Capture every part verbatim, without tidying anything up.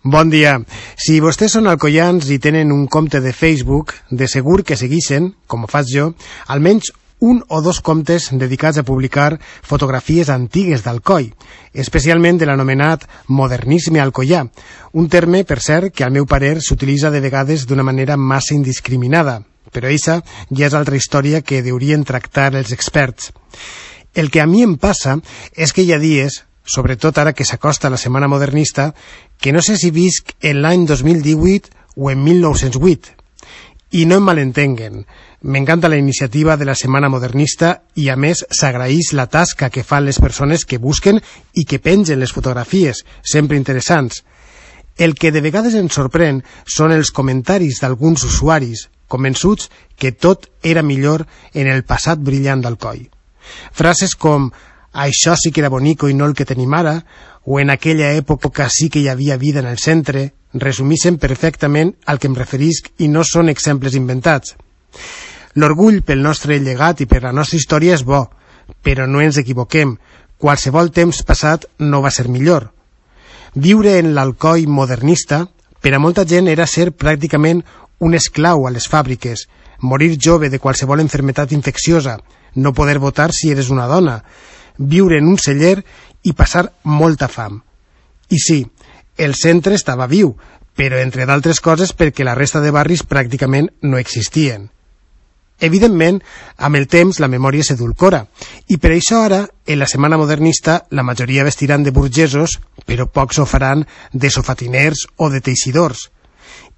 Bon dia. Si vostès són alcoians i tenen un compte de Facebook, de segur que seguixen, com ho faig jo, almenys un o dos comptes dedicats a publicar fotografies antigues d'Alcoi, especialment de l'anomenat modernisme alcoià, un terme, per cert, que al meu parer s'utilitza de vegades d'una manera massa indiscriminada, però eixa ja és altra història que deurien tractar els experts. El que a mi em passa és que hi ha dies, sobretot ara que s'acosta la Setmana Modernista, que no sé si visc en l'any dos mil divuit o en mil nou-cents vuit. I no em malentenguen, m'encanta la iniciativa de la Setmana Modernista i a més s'agraeix la tasca que fan les persones que busquen i que pengen les fotografies, sempre interessants. El que de vegades ens sorprèn són els comentaris d'alguns usuaris, convençuts que tot era millor en el passat brillant d'Alcoi. Frases com «això sí que era bonico i no el que tenim ara», o «en aquella època sí que hi havia vida en el centre», resumeixen perfectament al que em referisc i no són exemples inventats. L'orgull pel nostre llegat i per la nostra història és bo, però no ens equivoquem, qualsevol temps passat no va ser millor. Viure en l'Alcoi modernista, per a molta gent era ser pràcticament un esclau a les fàbriques, morir jove de qualsevol enfermetat infecciosa, no poder votar si eres una dona, viure en un celler i passar molta fam. I sí, el centre estava viu, però entre d'altres coses perquè la resta de barris pràcticament no existien. Evidentment, amb el temps la memòria s'edulcora, i per això ara, en la Setmana Modernista, la majoria vestiran de burgesos, però pocs ho faran de sofatiners o de teixidors.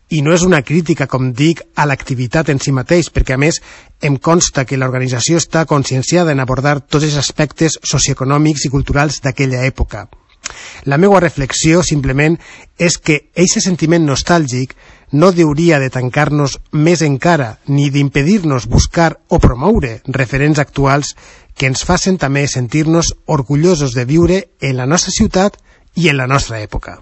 I no és una crítica, com dic, a l'activitat en si mateix, perquè a més em consta que l'organització està conscienciada en abordar tots els aspectes socioeconòmics i culturals d'aquella època. La meva reflexió, simplement, és que aquest sentiment nostàlgic no hauria de tancar-nos més encara, ni d'impedir-nos buscar o promoure referents actuals que ens facin també sentir-nos orgullosos de viure en la nostra ciutat i en la nostra època.